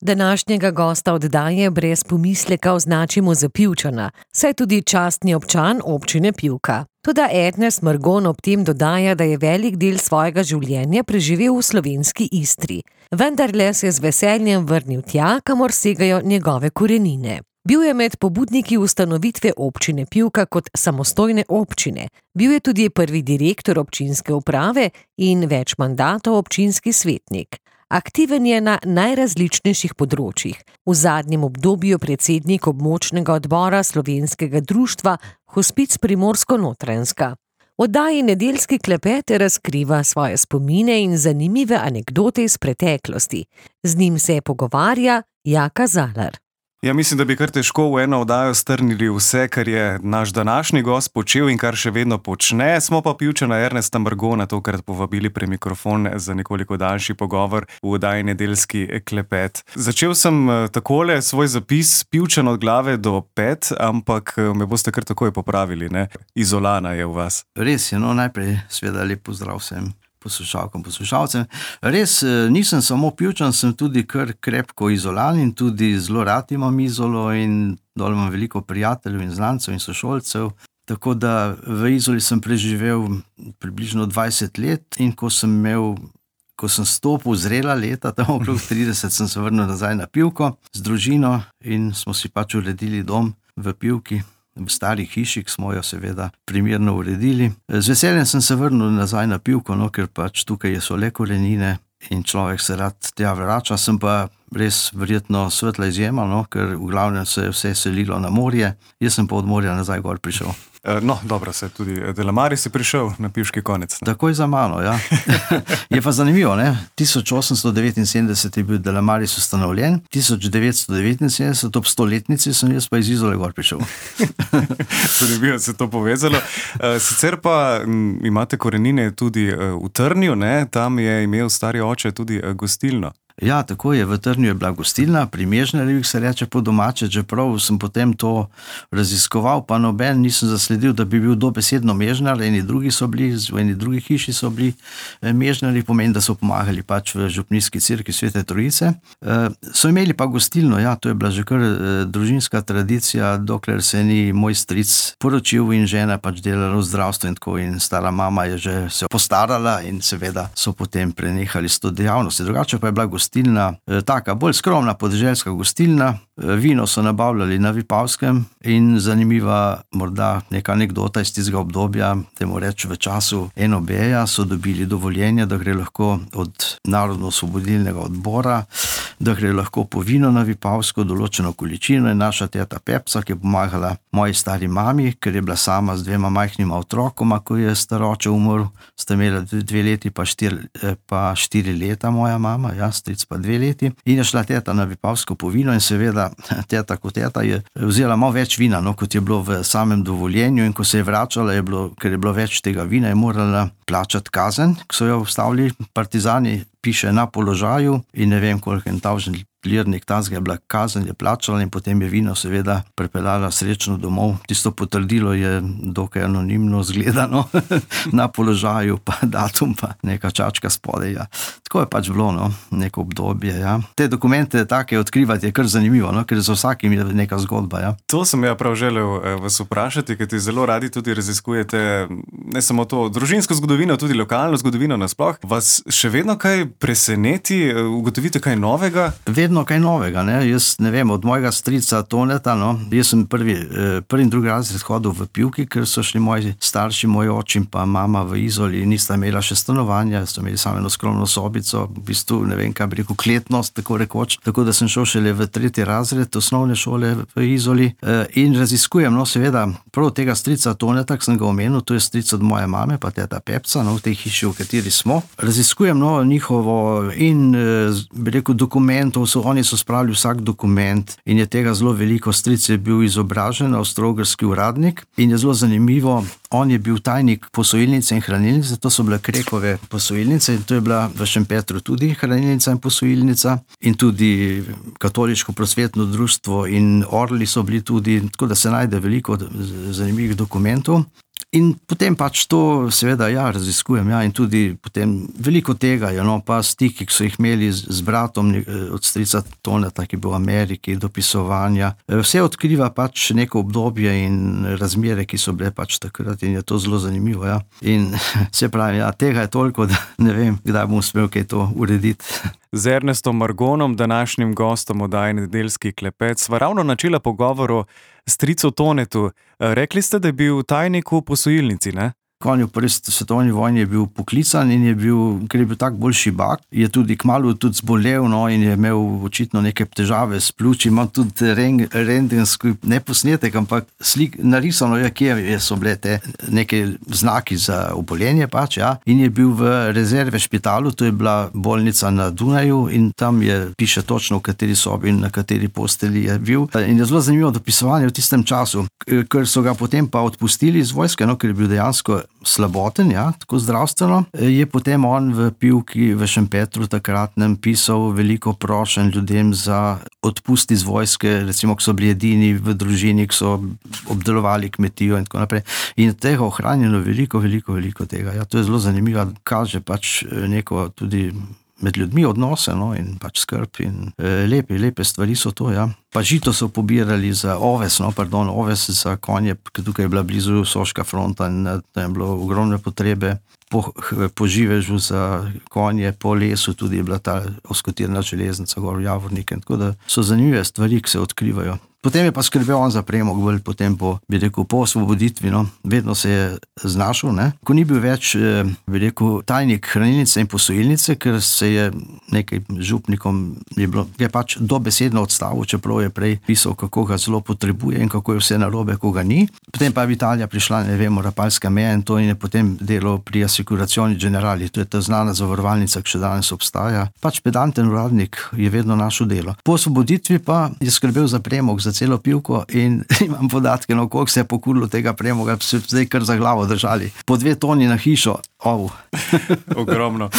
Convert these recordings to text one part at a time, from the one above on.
Današnjega gosta oddaje brez pomisleka označimo za Pivčana, saj tudi častni občan občine Pivka. Toda Ernest Margon ob tem dodaja, da je velik del svojega življenja preživel v slovenski Istri. Vendarle se je z veseljem vrnil tja, kamor segajo njegove korenine. Bil je med pobudniki ustanovitve občine Pivka kot samostojne občine. Bil je tudi prvi direktor občinske uprave in več mandatov občinski svetnik. Aktiven je na najrazličnejših področjih. V zadnjem obdobju predsednik območnega odbora Slovenskega društva Hospic Primorsko-Notranjska. V oddaji Nedeljski klepet razkriva svoje spomine in zanimive anekdote iz preteklosti. Z njim se pogovarja Jaka Zalar. Ja, mislim, da bi kar težko v eno oddajo strnili vse, kar je naš današnji gost počel in kar še vedno počne. Smo pa Pivčana Ernesta Margona tokrat povabili pri mikrofon za nekoliko daljši pogovor v oddaji Nedeljski klepet. Začel sem takole svoj zapis Pivčan od glave do pet, ampak me boste kar takoj popravili, ne? Izolana je v vas. Res je, najprej seveda lep pozdrav vsem poslušalcem. Res, nisem samo Pivčan, sem tudi kar krepko izolan in tudi zelo rad imam Izolo in dol imam veliko prijateljev in znancev in sošolcev. Tako da v Izoli sem preživel približno 20 let in ko sem stopil zrela leta, tam okrog 30, sem se vrnil nazaj na Pivko z družino in smo si pač uredili dom v Pivki. V stari hiši, ki smo jo seveda primerno uredili. Z veseljem sem se vrnil nazaj na Pivko, ker pač tukaj so le korenine in človek se rad tja vrača. Sem pa res verjetno svetla izjema, ker v glavnem se je vse selilo na morje. Jaz sem pa od morja nazaj gor prišel. Dobro, se tudi Delamari si prišel na pivški konec. Takoj za mano, ja. Je pa zanimivo, 1879 je bil Delamaris ustanovljen, 1979 ob 100-letnici sem jaz pa iz Izole gor prišel. Zanimivo se to povezalo. Sicer pa imate korenine tudi v Trnju, tam je imel stari oče tudi gostilno. Ja, tako je, v Trnju je bila gostilna, pri Mežnarjih se reče po domače, čeprav sem potem to raziskoval, pa noben nisem zasledil, da bi bil dobesedno Mežnar, eni drugi so bili, v eni drugi hiši so bili Mežnarji, pomeni, da so pomagali pač v župnijski cerkvi Svete Trojice. So imeli pa gostilno, ja, to je bila že kar družinska tradicija, dokler se ni moj stric poročil in žena pač delala v zdravstvu in tako, in stara mama je že se postarala in seveda so potem prenehali s to dejavnost. Drugače pa je bila gostilna, taka bolj skromna podeželska gostilna, vino so nabavljali na Vipavskem in zanimiva morda neka anekdota iz tistega obdobja, temu reč v času NOB-ja so dobili dovoljenje, da gre lahko od Narodno-osvobodilnega odbora, da gre lahko po vino na Vipavsko določeno količino in naša teta Pepca, ki je pomagala moji stari mami, ker je bila sama z 2 majhnima otrokoma, ko je staroče umrl, sta imela 2 leti pa 4 leta moja mama, ja, stric pa 2 leti, in je šla teta na Vipavsko po vino in seveda teta kot teta je vzela malo več vina, kot je bilo v samem dovoljenju, in ko se je vračala, ker je bilo več tega vina, je morala plačati kazen, ki so jo vstavili partizani, piše na položaju in ne vem, koliko en tavžen lirnik tazga je bila kazen, je plačala in potem je vino seveda prepeljala srečno domov. Tisto potrdilo je dokaj anonimno zgledano na položaju, pa datum, pa neka čačka spodaj. Ja. Tako je pač bilo, neko obdobje. Ja. Te dokumente take odkrivati je kar zanimivo, ker za vsakim je neka zgodba. Ja. To sem ja prav želel vas vprašati, ker ti zelo radi tudi raziskujete ne samo to družinsko zgodovino, tudi lokalno zgodovino nasploh. Vas še vedno kaj preseneti, ugotovite kaj novega? Vedno kaj novega, Jaz ne vem, od mojega strica Toneta, jaz sem prvi in drugi razred hodil v Pivki, ker so šli moji starši, moj oče in pa mama v Izoli, nista imela še stanovanja, so imeli samo eno skromno sobico, v bistvu ne vem, kaj bi rekel, kletnost, tako rekoč, tako da sem šel šele v 3. razred osnovne šole v Izoli in raziskujem, seveda, prav tega strica Toneta, ki sem ga omenil, to je stric od moje mame, pa teta Pepca, v tej hiši, v kateri smo. Raziskujem njihovo in bi rekel dokumentov, oni so spravili vsak dokument in je tega zelo veliko. Stric je bil izobražen avstro-ogrski uradnik in je zelo zanimivo, on je bil tajnik posojilnice in hranilnice, to so bile Krekove posojilnice in to je bila v Šempetru tudi hranilnica in posojilnica in tudi katoliško prosvetno društvo in orli so bili tudi, tako da se najde veliko zanimivih dokumentov. In potem pač to seveda raziskujem, in tudi potem veliko tega je, pa stiki, ki so jih imeli z bratom od strica Toneta, ki je bil v Ameriki, dopisovanja. Vse odkriva pač neko obdobje in razmere, ki so bile pač takrat in je to zelo zanimivo, In se pravi, tega je toliko, da ne vem, kdaj bom uspel kaj to urediti. Z Ernestom Margonom, današnjim gostom oddaje Nedeljski klepet, sva ravno načela pogovor o stricu Tonetu. Rekli ste, da je bil tajnik v posojilnici, ne? On je v prvi svetovni vojni je bil poklican in je bil, ker je bil tak bolj šibak, je tudi kmalu tudi zbolel, in je imel očitno neke težave s pljuči. Imam tudi rentgenski, ne posnetek, ampak narisano je, kje so bile te neke znaki za obolenje pač, In je bil v rezerve špitalu, to je bila bolnica na Dunaju in tam piše točno, v kateri sobi in na kateri posteli je bil. In je zelo zanimivo dopisovanje v tistem času, ker so ga potem pa odpustili iz vojske, ker je bil dejansko slaboten, tako zdravstveno, je potem on v Pivki v Šempetru takratnem pisal veliko prošenj ljudem za odpust iz vojske, recimo, ko so bili edini v družini, ki so obdelovali kmetijo in tako naprej. In tega ohranjeno veliko tega. To je zelo zanimivo, kaže pač neko tudi med ljudmi odnose, in pač skrb in lepe stvari so to, Pa žito so pobirali za oves za konje, ker tukaj je bila blizu Soška fronta in tam je bilo ogromne potrebe po živežu za konje, po lesu tudi je bila ta oskotirna železnica gor v Javornike, tako da so zanimive stvari, ki se odkrivajo. Potem je pa skrbel on za premog, potem po osvoboditvi, vedno se je znašel, Ko ni bil več, tajnik hranilnice in posojilnice, ker se je nekaj župnikom je pač dobesedno odstavil, čeprav je prej pisal, kako ga zelo potrebuje in kako je vse narobe, ko ga ni. Potem pa je v Italija prišla, Rapalska meja in to in je potem delal pri Assicurazioni Generali, to je ta znana zavarovalnica, ki še danes obstaja. Pač pedanten uradnik je vedno našel delo. Po osvoboditvi pa je skrbel za premog, za celo Pivko in imam podatke, koliko se je pokurilo tega premoga, se zdaj kar za glavo držali. Po 2 toni na hišo. Ogromno.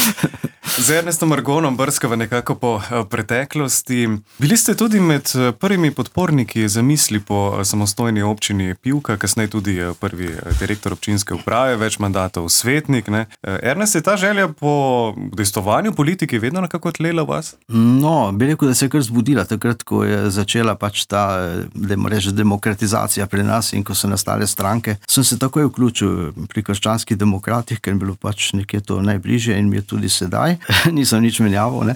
Z Ernestom Margonom brskava nekako po preteklosti. Bili ste tudi med prvimi podporniki zamisli po samostojni občini Pivka, kasneje tudi prvi direktor občinske uprave, več mandatov svetnik. Ernest, je ta želja po udejstvovanju politiki vedno nekako tlela v vas? Bi rekel, da se je kar zbudila takrat, ko je začela pač ta, demokratizacija pri nas in ko so nastale stranke. Sem se takoj vključil pri Krščanskih demokratih, ker je bilo pač nekje to najbližje in mi je tudi sedaj. Nisem nič menjaval,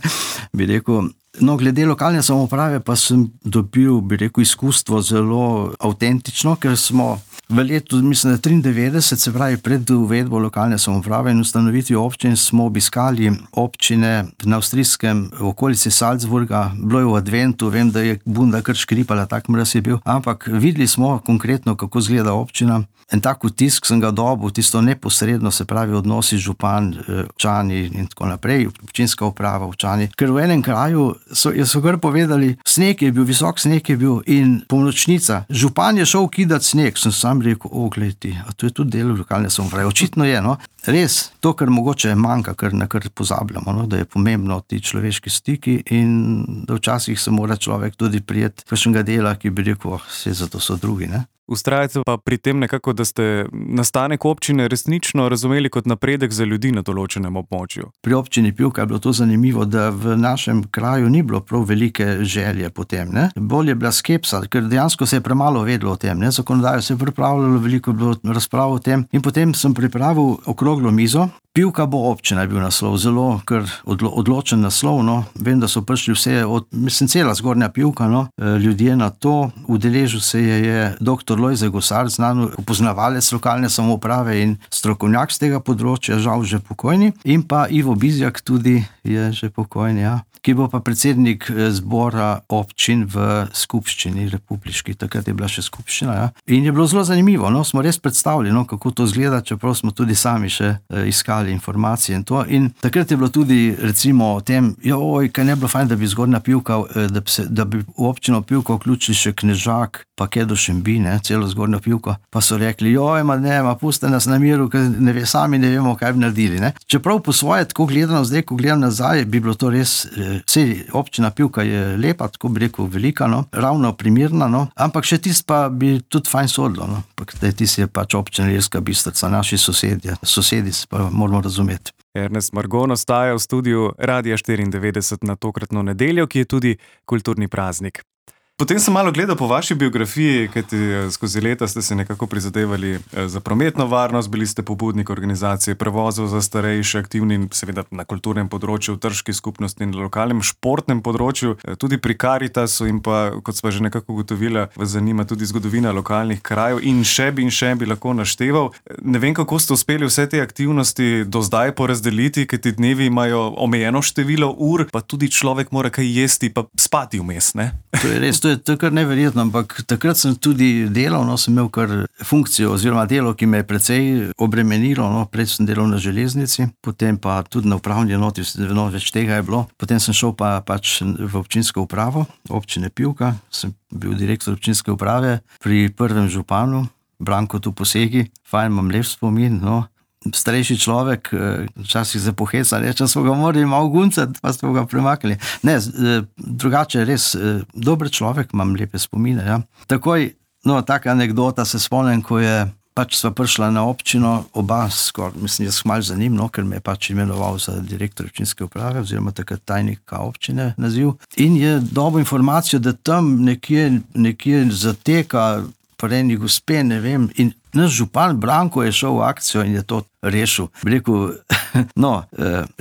bi rekel. Glede lokalne samouprave pa sem dobil, izkustvo zelo avtentično, ker smo v letu, mislim, 93, se pravi pred uvedbo lokalne samouprave in ustanovitvijo občin, smo obiskali občine na avstrijskem okolici Salzburga, bilo je v adventu, vem, da je bunda kar škripala, tak mraz je bil, ampak videli smo konkretno, kako izgleda občina. En tak vtisk sem ga dobil, tisto neposredno, se pravi odnosi župan, občani in tako naprej, občinska uprava, občani. Ker v enem kraju so kar povedali, sneg je bil, visok sneg je bil in polnočnica. Župan je šel kidati sneg, sem sam rekel, glejte, a to je tudi del lokalne samouprave. Očitno je, Res, to, kar mogoče manjka, kar pozabljamo, da je pomembno ti človeški stiki in da včasih se mora človek tudi prijeti kakšnega dela, ki bi rekel, vse zato so drugi, Vztrajate pa pri tem nekako, da ste nastanek občine resnično razumeli kot napredek za ljudi na določenem območju. Pri občini Pivka je bilo to zanimivo, da v našem kraju ni bilo prav velike želje potem, Bolj je bila skepsa, ker dejansko se je premalo vedelo o tem, Zakonodajo se je pripravljalo, veliko je bilo razprav o tem in potem sem pripravil okroglo mizo. Pivka bo občina je bil naslov, zelo kar odločen naslov, Vem, da so prišli vse, cela zgornja Pivka, ljudje na to. Udeležil se je dr. Lojze Gosar, znan poznavalec lokalne samouprave in strokovnjak z tega področja, žal že pokojni, in pa Ivo Bizjak tudi je že pokojni, ki bo pa predsednik zbora občin v skupščini republiški, takrat je bila še skupščina, In je bilo zelo zanimivo, smo res predstavili, kako to izgleda, čeprav smo tudi sami še iskali dali informacije in to. In takrat je bilo tudi recimo o tem, kaj ne bi bilo fajn, da bi Zgornja Pivka, da bi v občino Pivko vključili še Knežak, pa Kedo Šembi, celo Zgornjo Pivko, pa so rekli, puste nas na miru, ker sami ne vemo, kaj bi naredili. Ne. Čeprav po svoje, tako gledano zdaj, ko gledam nazaj, bi bilo to res, občina Pivka je lepa, tako bi rekel, velika, ravno primirna, ampak še tist pa bi tudi fajn sodilo, tist je pač občina Ilirska Bistrica, naši sosedi pa moramo razumeti. Ernest Margon ostaja v studiu Radia 94 na tokratno nedeljo, ki je tudi kulturni praznik. Potem sem malo gledal po vaši biografiji, kajti skozi leta ste se nekako prizadevali za prometno varnost, bili ste pobudnik organizacije prevozov za starejše, aktivni seveda na kulturnem področju, v trški skupnosti in na lokalnem športnem področju, tudi pri Karitasu in pa, kot sva že nekako ugotovila, vas zanima tudi zgodovina lokalnih krajev in še bi lahko našteval. Ne vem, kako ste uspeli vse te aktivnosti do zdaj porazdeliti, kajti dnevi imajo omejeno število ur, pa tudi človek mora kaj jesti pa spati vmes, ne? To je res. To je kar neverjetno, ampak takrat sem tudi delal, sem imel kar funkcijo oziroma delo, ki me je precej obremenilo, prej sem delal na železnici, potem pa tudi na upravni enoti, več tega je bilo. Potem sem šel pač v občinsko upravo, občine Pivka, sem bil direktor občinske uprave pri prvem županu, Brankotu Posegi, fajn, imam lep spomin, starejši človek, včasih se poheca, reče, smo ga morali malo guncati, pa smo ga premaknili. Ne, drugače res dober človek, imam lepe spomine. Ja. Takoj, taka anekdota se spomnim, ko je pač sva prišla na občino, oba skoraj, mislim, jaz malo za njim, ker me je pač imenoval za direktor občinske uprave, oziroma takrat tajnika občine naziv. In je dobil informacijo, da tam nekje zateka prejni gospe, ne vem, in naš župan Branko je šel v akcijo in je to rešil. Rekel,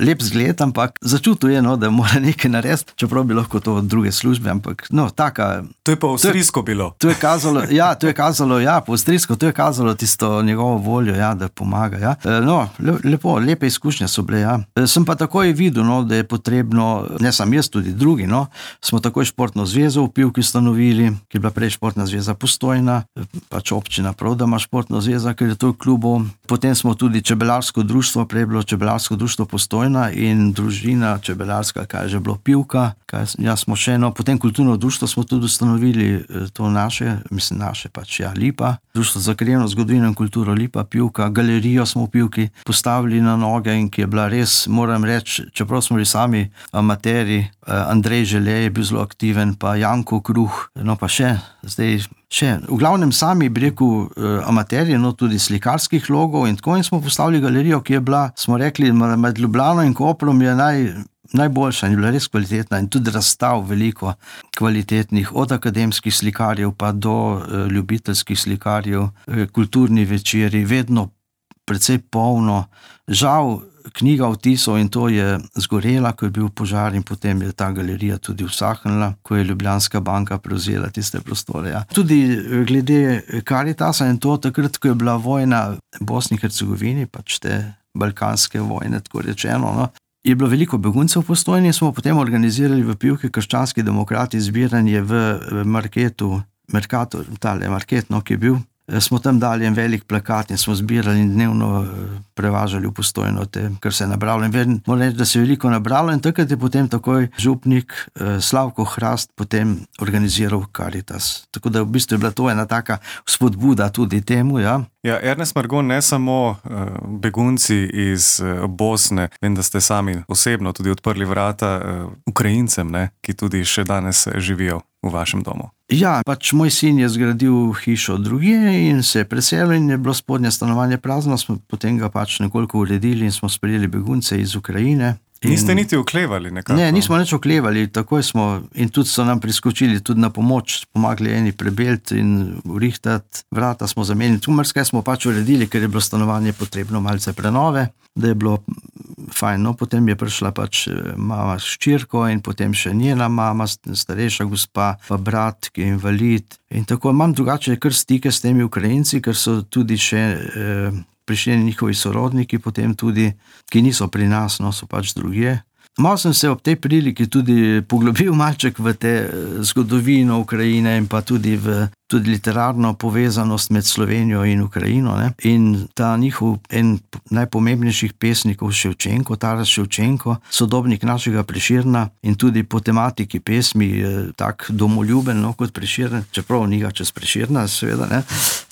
lep zgled, ampak začutil je, da mora nekaj narediti, čeprav bi lahko to od druge službe, ampak taka... To je pa avstrijsko bilo. To je kazalo, po avstrijsko, to je kazalo tisto njegovo voljo, da pomaga, ja. Lepe izkušnje so bile, ja. Sem pa takoj videl, da je potrebno, ne sam jaz, tudi drugi, smo takoj športno zvezo v Pivki ustanovili, ki je bila prej športna zveza Postojna, pač občina prav, da ima športno zveza, ker je to v klubu. Potem smo tudi čebelarsko društvo, prej je bilo čebelarsko društvo Postojna in družina čebelarska, kaj je že bilo Pivka, potem kulturno društvo smo tudi ustanovili, to naše pač, Lipa, društvo za krajevno zgodovino in kulturo Lipa, Pivka, galerijo smo v Pivki postavili na noge in ki je bila res, moram reči, čeprav smo bili sami amateri, Andrej Želej je bil zelo aktiven, pa Janko Kruh, pa v glavnem sami bi rekel amaterji, tudi slikarskih logov in tako, in smo postavili galerijo, ki je bila, smo rekli, med Ljubljano in Koprom je najboljša in je bila res kvalitetna in tudi razstav veliko kvalitetnih, od akademskih slikarjev pa do ljubiteljskih slikarjev, kulturni večeri, vedno precej polno. Žal, knjiga vtisov in to je zgorela, ko je bil požar in potem je ta galerija tudi usahnila, ko je Ljubljanska banka prevzela tiste prostore. Ja. Tudi glede Karitasa in to, takrat, ko je bila vojna v Bosni in Hercegovini, pač te balkanske vojne, tako rečeno, je bilo veliko beguncev v Postojni, smo potem organizirali v Pivki krščanski demokrati zbiranje v marketu, market, ki je bil. Smo tam dali en velik plakat in smo zbirali in dnevno prevažali v Postojno, kar se je nabralo. In moram reči, da se je veliko nabralo in takrat je potem takoj župnik Slavko Hrast potem organiziral Karitas. Tako da v bistvu je bila to ena taka spodbuda tudi temu, ja. Ja, Ernest Margon, ne samo begunci iz Bosne, vem, da ste sami osebno tudi odprli vrata Ukrajincem, ki tudi še danes živijo v vašem domu. Ja, pač moj sin je zgradil hišo drugje in se je preselil in je bilo spodnje stanovanje prazno, smo potem ga pač nekoliko uredili in smo sprejeli begunce iz Ukrajine. Niste niti oklevali nekako? Ne, nismo nič oklevali, takoj smo in tudi so nam priskočili tudi na pomoč, pomagali eni prebelti in urihtati, vrata smo zamenili, tu marsikaj smo pač uredili, ker je bilo stanovanje potrebno malce prenove, da je bilo fajn, potem je prišla pač mama s hčerko in potem še njena mama, starejša gospa, pa brat, ki je invalid in tako imam drugače kar stike s temi Ukrajinci, ker so tudi še prišli njihovi sorodniki, potem tudi, ki niso pri nas, so pač drugje. Malo sem se ob tej priliki tudi poglobil malček v te zgodovino Ukrajine in pa tudi v literarno povezanost med Slovenijo in Ukrajino. Ne? In ta njihov en najpomembnejših pesnikov Ševčenko, Taras Ševčenko, sodobnik našega Prešerna in tudi po tematiki pesmi tak domoljuben, kot Prešern, čeprav ni ga čez Prešerna, seveda, ne?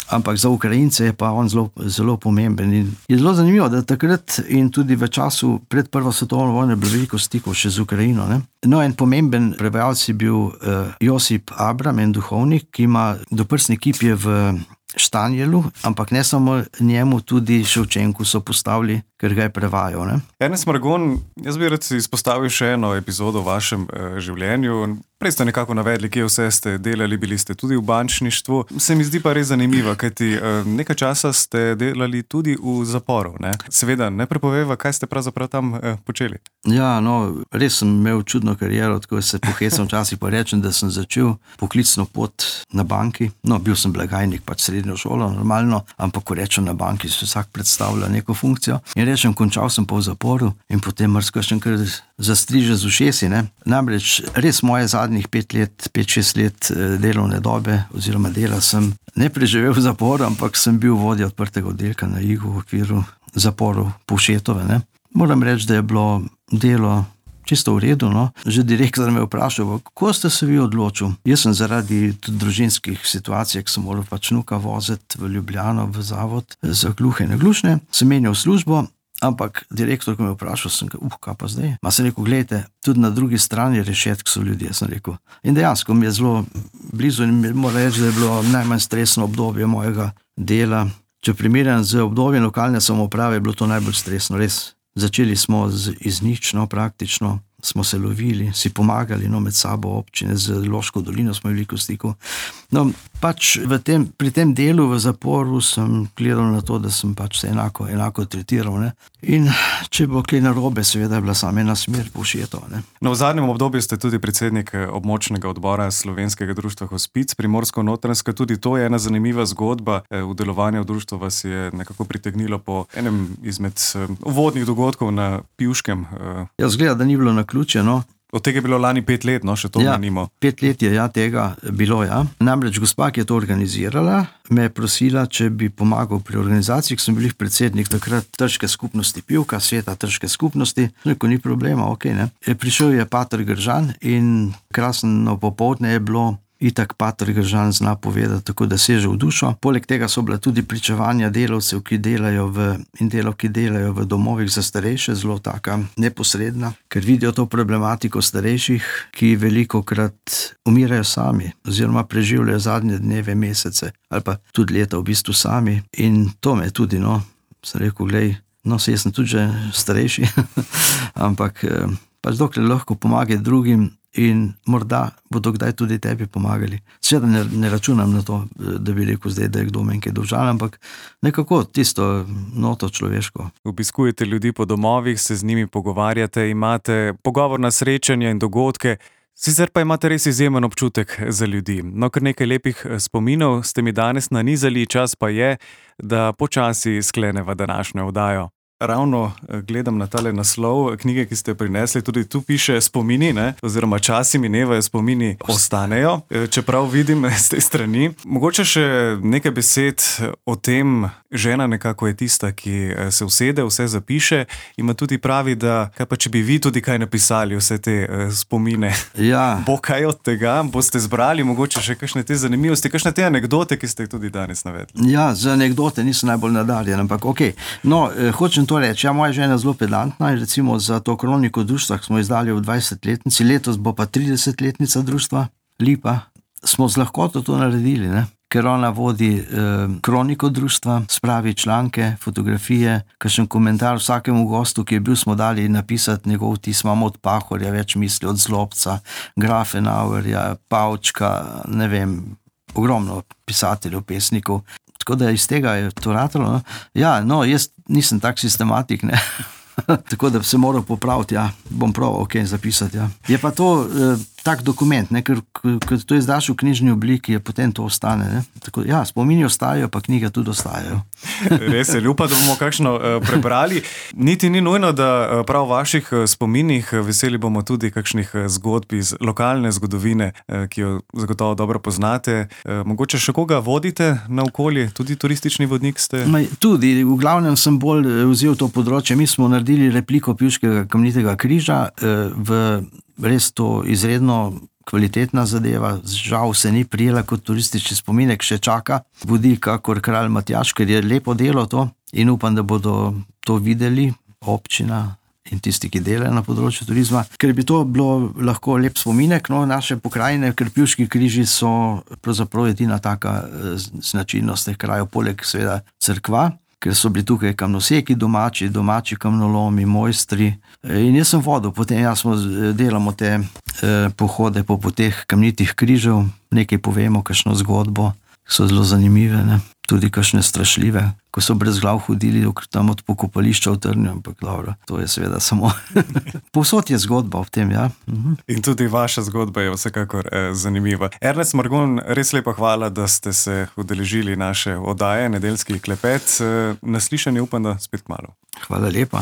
Ampak za Ukrajince je pa on zelo pomemben. In je zelo zanimivo, da takrat in tudi v času pred prvo svetovno vojno je bilo veliko stikov še z Ukrajino. Ne? No, en pomemben prevajalec je bil Josip Abram, en duhovnik, ki ima doprsni kip je v Štanjelu, ampak ne samo njemu, tudi Ševčenku so postavili, ker ga je prevajal. Ne? Ernest Margon, jaz bi rad izpostavil še eno epizodo v vašem življenju. Prej ste nekako navedli, kje vse ste delali, bili ste tudi v bančništvu. Se mi zdi pa res zanimivo, kajti nekaj časa ste delali tudi v zaporu. Ne? Seveda, ne prepoveva, kaj ste pravzaprav tam počeli. Ja, no, res sem imel čudno kariero, tako se pohecam včasih pa rečem, da sem začel poklicno pot na banki. No, bil sem blagajnik, pač srednjo šolo, normalno, ampak ko rečem na banki, se vsak predstavlja neko funkcijo. In rečem, končal sem pa v zaporu in potem marsikaj kar zastriže z ušesi. Ne? Namreč res moje zadnjih 5-6 let delovne dobe oziroma dela sem ne preživel v zaporu, ampak sem bil vodja odprtega oddelka na Igu v okviru zaporov Povšetove. Ne? Moram reči, da je bilo delo čisto v redu. No? Že direktor me je vprašal, kako ste se vi odločil? Jaz sem zaradi tudi družinskih situacij, ki sem moral pač vnuka voziti v Ljubljano v zavod za gluhe in naglušne, sem menjal službo. Ampak direktor, ko me je vprašal, sem rekel, kaj pa zdaj? Ma sem rekel, gledajte, tudi na drugi strani rešetk so ljudje, sem rekel. In dejansko mi je zelo blizu in moram reči, da je bilo najmanj stresno obdobje mojega dela. Če primerjam z obdobjem lokalne samouprave, je bilo to najbolj stresno, res. Začeli smo iz nič, praktično smo se lovili, si pomagali med sabo občine, z Loško dolino smo veliko stikov. No, pač pri tem delu v zaporu sem gledal na to, da sem pač se enako tretiral. Ne? In če bo kaj narobe, seveda je bila sama ena smer Povšetova. Ne? No, v zadnjem obdobju ste tudi predsednik območnega odbora Slovenskega društva Hospic Primorsko-Notranjska. Tudi to je ena zanimiva zgodba. V delovanju društva vas je nekako pritegnilo po enem izmed uvodnih dogodkov na Pivškem. Ja, zgleda, da ni bilo naključje, no. Od tega je bilo lani 5 let, no, še to menimo. 5 let je tega bilo, Namreč gospa, ki je to organizirala, me je prosila, če bi pomagal pri organizaciji, ki sem bil predsednik takrat Trške skupnosti Pivka, sveta Trške skupnosti. Rekel, ni problema, ne. Prišel je pater Gržan in krasno popoldne je bilo. Itak pater Gržan zna povedati, tako da seže v dušo. Poleg tega so bila tudi pričevanja delavcev, ki delajo v domovih za starejše, zelo taka neposredna, ker vidijo to problematiko starejših, ki velikokrat umirajo sami oziroma preživljajo zadnje dneve, mesece ali pa tudi leta v bistvu sami. In to me tudi, sem rekel, glej, jaz sem tudi že starejši, ampak pač dokler lahko pomagati drugim, in morda bodo kdaj tudi tebi pomagali. Seveda ne računam na to, da bi rekel zdaj, da je kdo meni kaj dolžan, ampak nekako tisto noto človeško. Obiskujete ljudi po domovih, se z njimi pogovarjate, imate pogovorna srečanja in dogodke, sicer pa imate res izjemen občutek za ljudi. No, kar nekaj lepih spominov ste mi danes nanizali, čas pa je, da počasi skleneva današnjo oddajo. Ravno gledam na tale naslov knjige, ki ste prinesli, tudi tu piše spomini, oziroma časi minevajo, spomini ostanejo, čeprav vidim z te strani. Mogoče še nekaj besed o tem, žena nekako je tista, ki se usede, vse zapiše, ima tudi pravi, da kaj pa če bi vi tudi kaj napisali, vse te spomine. Ja. Bo kaj od tega, boste zbrali mogoče še kakšne te zanimivosti, kakšne te anekdote, ki ste jih tudi danes navedli. Ja, za anekdote nisem najbolj nadarjen, ampak No, hočem to reči, moja žena je zelo pedantna in recimo za to kroniko društva, ki smo izdali v 20-letnici, letos bo pa 30-letnica društva, Lipa, smo z lahkoto to naredili, ker ona vodi kroniko društva, spravi članke, fotografije, kakšen komentar vsakemu gostu, ki je bil, smo dali napisati njegov vtis, imamo od Pahorja več misli, od Zlobca, Grafenauerja, Pavčka, ne vem, ogromno pisateljev, pesnikov. Tako da iz tega je to ratalo. Jaz nisem tak sistematik, tako da se moram popraviti, bom probal zapisati. Je pa to tak dokument, ne, ker to izdaš v knjižni obliki, je potem to ostane. Ne. Tako, ja, spomini ostajajo, pa knjige tudi ostajajo. Res je, upam, da bomo kakšno prebrali. Niti ni nujno, da prav v vaših spominih, veseli bomo tudi kakšnih zgodb iz lokalne zgodovine, ki jo zagotovo dobro poznate. Mogoče še koga vodite naokoli, tudi turistični vodnik ste? Tudi, v glavnem sem bolj vzel to področje. Mi smo naredili repliko Pivškega kamnitega križa, res to izredno kvalitetna zadeva, žal se ni prijela kot turistični spominek, še čaka vodnik kakor kralj Matjaž, ker je lepo delo to in upam, da bodo to videli občina in tisti, ki delajo na področju turizma, ker bi to bilo lahko lep spominek, no, naše pokrajine, ker Pivški križi so pravzaprav edina taka značilnost teh krajev, poleg seveda cerkva, ker so bili tukaj kamnoseki domači kamnolomi, mojstri. In jaz sem vodil, potem delamo te pohode po poteh kamnitih križev, nekaj povemo, kakšno zgodbo, so zelo zanimive, ne? Tudi kakšne strašljive, ko so brez glav hodili tam od pokopališča v Trnju, ampak dobro, to je seveda samo. Povsod je zgodba v tem, ja. In tudi vaša zgodba je vsekakor zanimiva. Ernest Margon, res lepa hvala, da ste se udeležili naše oddaje, Nedeljski klepet. Na slišanje upam, da spet kmalu. Hvala lepa.